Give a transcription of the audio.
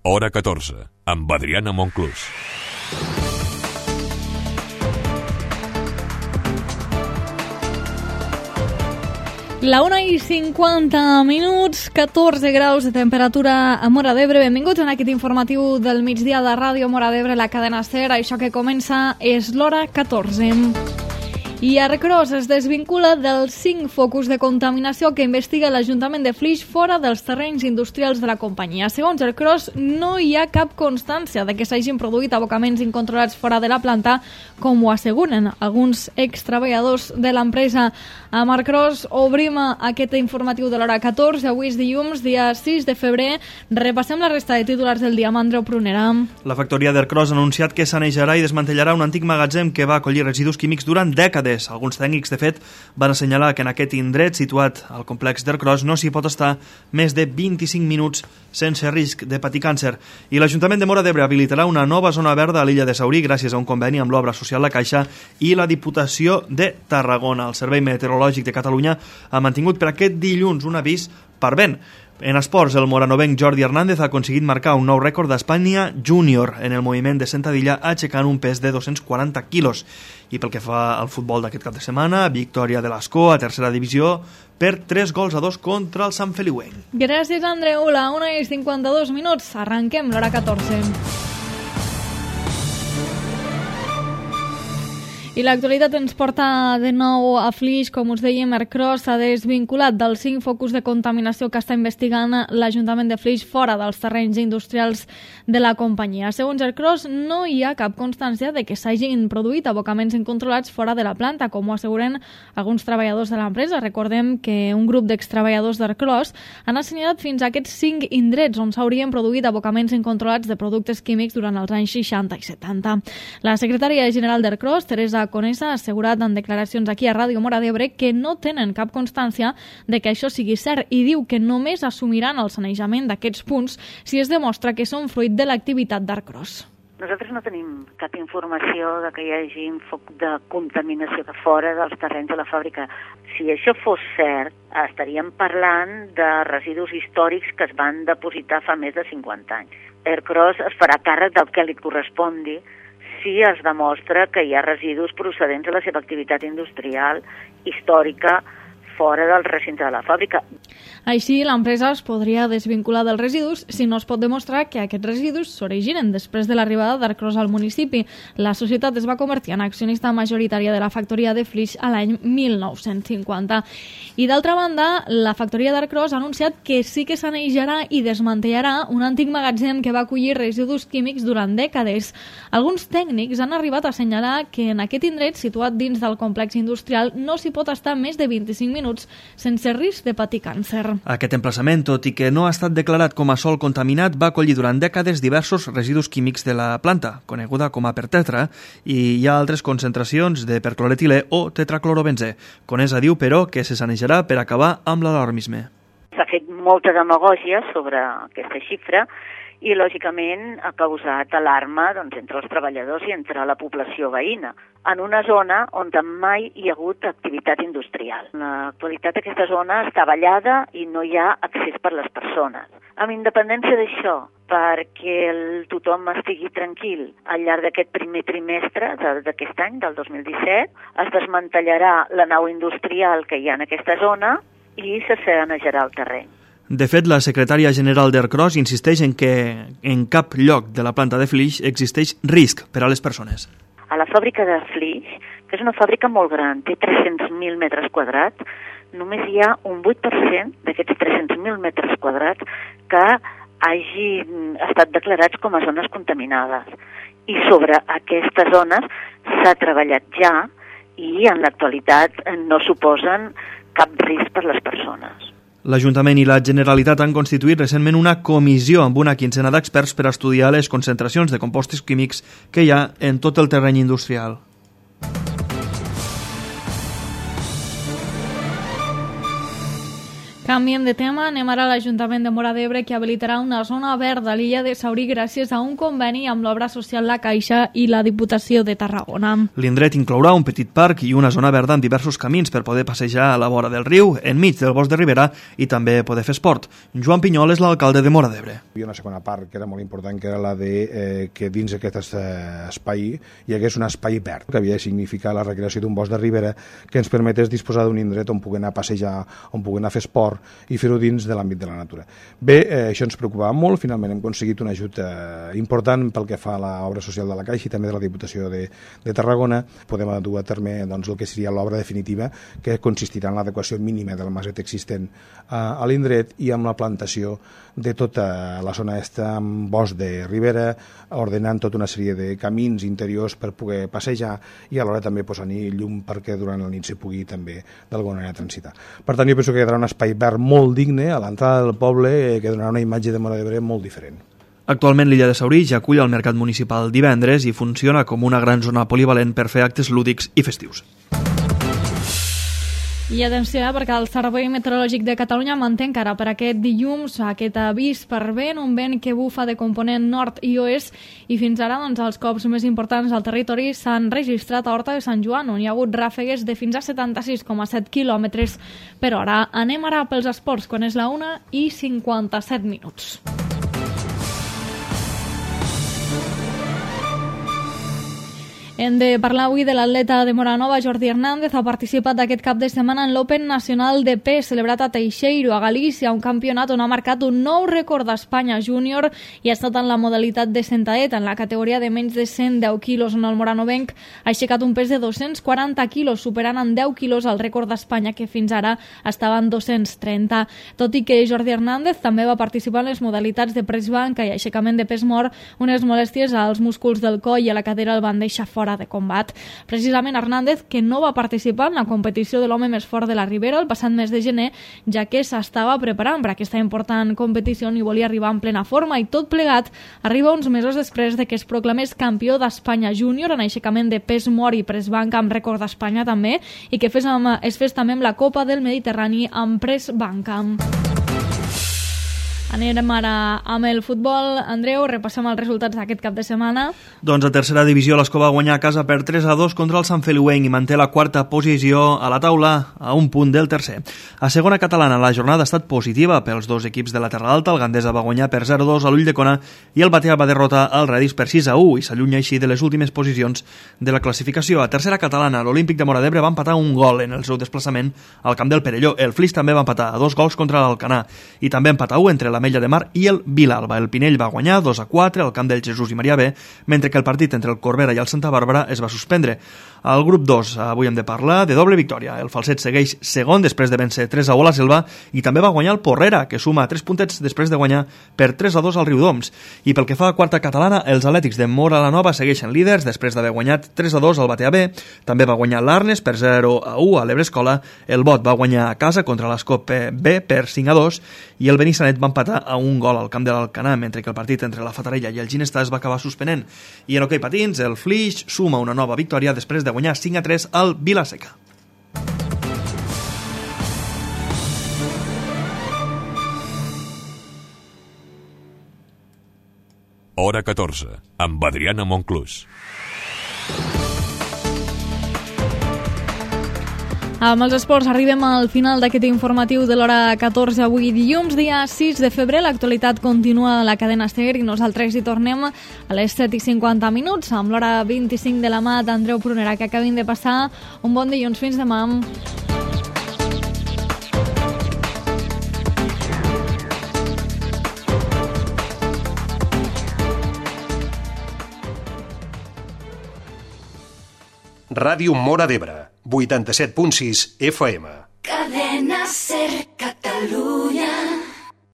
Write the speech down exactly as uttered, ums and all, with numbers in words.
Hora catorze, amb Adriana Monclús. La una i cinquanta minuts, catorze graus de temperatura a Móra d'Ebre. Benvinguts en aquest informatiu del migdia de Ràdio Móra d'Ebre, la cadena SER. Això que comença és l'Hora catorze. I Ercros es desvincula dels cinc focus de contaminació que investiga l'Ajuntament de Flix fora dels terrenys industrials de la companyia. Segons Ercros, no hi ha cap constància de que s'hagin produït abocaments incontrolats fora de la planta, com ho asseguren alguns extreballadors de l'empresa. Amb Ercros obrim aquest informatiu de l'Hora catorze. Avui és dilluns, dia sis de febrer. Repassem la resta de titulars del dia amb Andreu Prunera. La factoria d'Ercros ha anunciat que sanejarà i desmantellarà un antic magatzem que va acollir residus químics durant dècades. Alguns tècnics, de fet, van assenyalar que en aquest indret situat al complex d'Ercros no s'hi pot estar més de vint-i-cinc minuts sense risc de patir càncer. I l'Ajuntament de Móra d'Ebre habilitarà una nova zona verda a l'illa de Saurí gràcies a un conveni amb l'Obra Social La Caixa i la Diputació de Tarragona. El Servei Meteorològic de Catalunya ha mantingut per aquest dilluns un avís per vent. En esports, el moranovenc Jordi Hernández ha aconseguit marcar un nou rècord d'Espanya júnior en el moviment de sentadilla aixecant un pes de dos-cents quaranta quilos. I pel que fa al futbol d'aquest cap de setmana, victòria de l'Escó a tercera divisió per tres gols a dos contra el Sant Feliuenc. Gràcies, Andreu. La una i cinquanta-dos minuts. Arranquem l'Hora catorze. I l'actualitat ens porta de nou a Flix. Com us dèiem, Ercros s'ha desvinculat dels cinc focus de contaminació que està investigant l'Ajuntament de Flix fora dels terrenys industrials de la companyia. Segons Ercros, no hi ha cap constància de que s'hagin produït abocaments incontrolats fora de la planta, com ho asseguren alguns treballadors de l'empresa. Recordem que un grup d'extreballadors d'Ercros han assenyalat fins a aquests cinc indrets on s'haurien produït abocaments incontrolats de productes químics durant els anys seixanta i setanta. La secretària general d'Ercros, Teresa Conesa, ha assegurat en declaracions aquí a Ràdio Móra d'Ebre que no tenen cap constància de que això sigui cert i diu que només assumiran el sanejament d'aquests punts si es demostra que són fruit de l'activitat d'Ercros. Nosaltres no tenim cap informació de que hi hagi un foc de contaminació de fora dels terrenys de la fàbrica. Si això fos cert, estaríem parlant de residus històrics que es van depositar fa més de cinquanta anys. Ercros es farà càrrec del que li correspongui si es demostra que hi ha residus procedents de la seva activitat industrial històrica fora del recinte de la fàbrica. Així, l'empresa es podria desvincular dels residus si no es pot demostrar que aquests residus s'originen després de l'arribada d'Ercros al municipi. La societat es va convertir en accionista majoritària de la factoria de Flix a l'any mil nou-cents cinquanta. I d'altra banda, la factoria d'Ercros ha anunciat que sí que sanejarà i desmantellarà un antic magatzem que va acollir residus químics durant dècades. Alguns tècnics han arribat a assenyalar que en aquest indret, situat dins del complex industrial, no s'hi pot estar més de vint-i-cinc minuts sense risc de patir càncer. Aquest emplaçament, tot i que no ha estat declarat com a sòl contaminat, va acollir durant dècades diversos residus químics de la planta, coneguda com a pertetra, i hi ha altres concentracions de percloretilè o tetraclorobenzè. Conesa diu, però, que se sanejarà per acabar amb l'alarmisme. S'ha fet molta demagògia sobre aquesta xifra i, lògicament, ha causat alarma doncs, entre els treballadors i entre la població veïna, en una zona on mai hi ha hagut activitat industrial. En l'actualitat aquesta zona està vallada i no hi ha accés per les persones. Amb independència d'això, perquè el, tothom estigui tranquil, al llarg d'aquest primer trimestre d'aquest any, del dos mil disset, es desmantellarà la nau industrial que hi ha en aquesta zona i se sanejarà el terreny. De fet, la secretària general d'Ercros insisteix en que en cap lloc de la planta de Flix existeix risc per a les persones. A la fàbrica de Flix, que és una fàbrica molt gran, té tres-cents mil metres quadrats, només hi ha un vuit per cent d'aquests tres-cents mil metres quadrats que hagin estat declarats com a zones contaminades. I sobre aquestes zones s'ha treballat ja i en l'actualitat no suposen cap risc per les persones. L'Ajuntament i la Generalitat han constituït recentment una comissió amb una quinzena d'experts per estudiar les concentracions de compostos químics que hi ha en tot el terreny industrial. Canviem de tema, anem ara a l'Ajuntament de Móra d'Ebre, que habilitarà una zona verda a l'illa de Saurí gràcies a un conveni amb l'obra social La Caixa i la Diputació de Tarragona. L'indret inclourà un petit parc i una zona verda amb diversos camins per poder passejar a la vora del riu, enmig del bosc de Ribera, i també poder fer esport. Joan Pinyol és l'alcalde de Móra d'Ebre. Hi havia una segona part que era molt important, que era la de eh, que dins d'aquest eh, espai hi hagués un espai verd, que havia de significar la recreació d'un bosc de Ribera que ens permetés disposar d'un indret on poder anar a passejar, on poder anar a fer esport i fer-ho dins de l'àmbit de la natura. Bé, eh, això ens preocupava molt, finalment hem aconseguit un ajut eh, important pel que fa a l'obra social de la Caixa i també de la Diputació de, de Tarragona. Podem dur a terme doncs, el que seria l'obra definitiva, que consistirà en l'adequació mínima del maset existent a, a l'indret i amb la plantació de tota la zona esta amb bosc de Ribera, ordenant tota una sèrie de camins interiors per poder passejar i alhora també posant-hi llum perquè durant la nit s'hi pugui també d'alguna manera transitar. Per tant, jo penso que quedarà un espai verd molt digne a l'entrada del poble, eh, que donarà una imatge de Móra d'Ebre molt diferent. Actualment l'illa de Saurí ja acull el mercat municipal divendres i funciona com una gran zona polivalent per fer actes lúdics i festius. I atenció, eh, perquè el Servei Meteorològic de Catalunya manté encara per aquest dilluns aquest avís per vent, un vent que bufa de component nord i oest, i fins ara doncs, els cops més importants al territori s'han registrat a Horta de Sant Joan, on hi ha hagut ràfegues de fins a setanta-sis coma set quilòmetres per hora. Anem ara pels esports, quan és la una i cinquanta-set minuts. Hem de parlar avui de l'atleta de Moranova, Jordi Hernández. Ha participat aquest cap de setmana en l'Open Nacional de Pes, celebrat a Teixeiro, a Galícia, un campionat on ha marcat un nou rècord d'Espanya júnior i ha estat en la modalitat de centaet, en la categoria de menys de cent deu quilos, on el moranovenc ha aixecat un pes de dos-cents quaranta quilos, superant en deu quilos el rècord d'Espanya, que fins ara estava en dos-cents trenta. Tot i que Jordi Hernández també va participar en les modalitats de press banca i aixecament de pes mort, unes molèsties als músculs del coll i a la cadera el van deixar fora de combat. Precisament Hernández, que no va participar en la competició de l'home més fort de la Ribera el passat mes de gener, ja que s'estava preparant per aquesta important competició i volia arribar en plena forma, i tot plegat arriba uns mesos després de que es proclamés campió d'Espanya júnior en aixecament de pes mort i press banca amb rècord d'Espanya també, i que fes amb, es fes també amb la Copa del Mediterrani amb press banca. Anem ara amb el futbol. Andreu, repassem els resultats d'aquest cap de setmana. Doncs a tercera divisió l'Escó va guanyar a casa per tres a dos contra el Sant Feliuenc i manté la quarta posició a la taula a un punt del tercer. A segona catalana la jornada ha estat positiva pels dos equips de la Terra Alta. El Gandesa va guanyar per zero a dos a l'Ulldecona i el Batea va derrotar el Redis per sis a u i s'allunya així de les últimes posicions de la classificació. A tercera catalana l'Olímpic de Móra d'Ebre va empatar un gol en el seu desplaçament al camp del Perelló. El Flix també va empatar a dos gols contra l'Alcanar i també empatar u entre la Mella de Mar i el Vilalba. El Pinell va guanyar dos a quatre al camp del Jesús i Maria B, mentre que el partit entre el Corbera i el Santa Bàrbara es va suspendre. Al grup dos avui hem de parlar de doble victòria. El Falset segueix segon després de vèncer tres a u a la Selva i també va guanyar el Porrera, que suma tres puntets després de guanyar per tres a dos al Riudoms. I pel que fa a quarta catalana, els Atlètics de Móra la Nova segueixen líders després d'haver guanyat tres a dos al Batea B. També va guanyar l'Arnes per zero a u a l'Ebrescola. El Bot va guanyar a casa contra l'Escop B per cinc a dos i el Benissanet va empatar a un gol al camp de l'Alcanar, mentre que el partit entre la Fatarella i el Ginestà es va acabar suspenent. I en hoquei patins, el Flix suma una nova victòria després de guanyar cinc a tres al Vila-seca. Hora catorze, amb Adriana Monclús. Amb els esports arribem al final d'aquest informatiu de l'hora catorze avui dilluns, dia sis de febrer. L'actualitat continua a la cadena SER i nosaltres hi tornem a les set i cinquanta minuts amb l'hora vint-i-cinc de la mà d'Andreu Prunera, que acabin de passar un bon dilluns. Fins demà. Ràdio Móra d'Ebre, vuitanta-set punt sis F M. Cadena SER Catalunya.